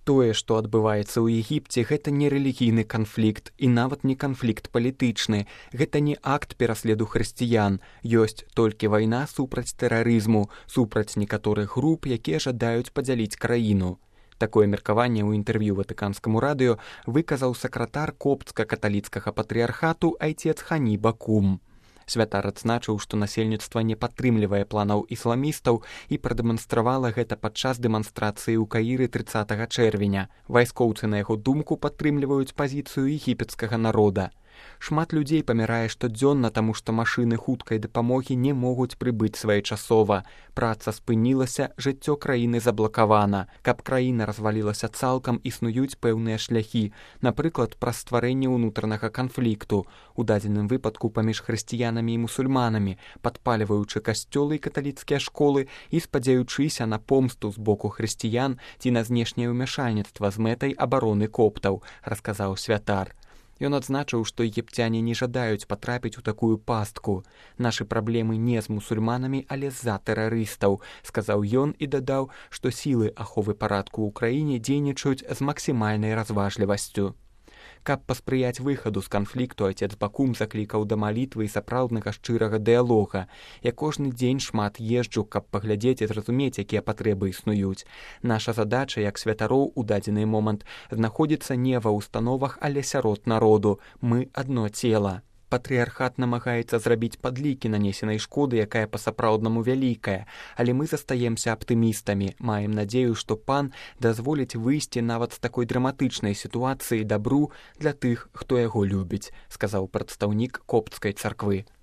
Тое, што адбываецца ў Егіпце, гэта не рэлігійны канфлікт і нават не канфлікт палітычны. Гэта не акт пераследу хрысціян. Ёсць толькі вайна супраць тэрарызму, супраць некаторых груп, якія жадаюць падзяліць краіну. Такое меркаванне ў інтэрв'ю Ватыканскаму радыё выказаў сакратар коптска-каталіцкага патрыярхату айцец Хані Бакум. Святар адзначыў, што насельніцтва не падтрымлівае планаў ісламістаў і прадэманстравала гэта падчас дэманстрацыі ў Каіры 30 чэрвеня. Вайскоўцы, на яго думку, падтрымліваюць пазіцыю егіпецкага народа. Шмат людзей памірае штодзённа, таму што машыны хуткай дапамогі не могуць прыбыць своечасова. Праца спынілася, жыццё краіны заблакавана. Каб краіна развалілася цалкам, існуюць пэўныя шляхі, напрыклад, праз стварэнне ўнутранага канфлікту, у дадзеным выпадку паміж хрысціянамі і мусульманамі, падпальваючы касцёлы і каталіцкія школы і спадзяючыся на помсту з боку хрысціян ці на знешняе ўмяшальніцтва з мэтай абароны коптаў, расказаў святар. Ён адзначыў, што егіпцяне не жадаюць патрапіць у такую пастку. Нашы праблемы не з мусульманамі, але з-за тэрарыстаў, сказаў ён і дадаў, што сілы аховы парадку ў краіне дзейнічаюць з максімальнай разважлівасцю. Каб паспрыяць выхаду з канфлікту, айцец Бакум заклікаў да малітвы і сапраўднага шчырага дыялога. Я кожны дзень шмат езджу, каб паглядзець і зразумець, якія патрэбы існуюць. Наша задача, як святароў у дадзены момант, знаходзіцца не ва ўстановах, але сярод народу. Мы адно цела. Патрыярхат намагаецца зрабіць падлікі нанесенай шкоды, якая па-сапраўднаму вялікая, але мы застаемся аптымістамі, маем надзею, што пан дазволіць выйсці нават з такой драматычнай сітуацыі дабру для тых, хто яго любіць, сказаў прадстаўнік коптскай царквы.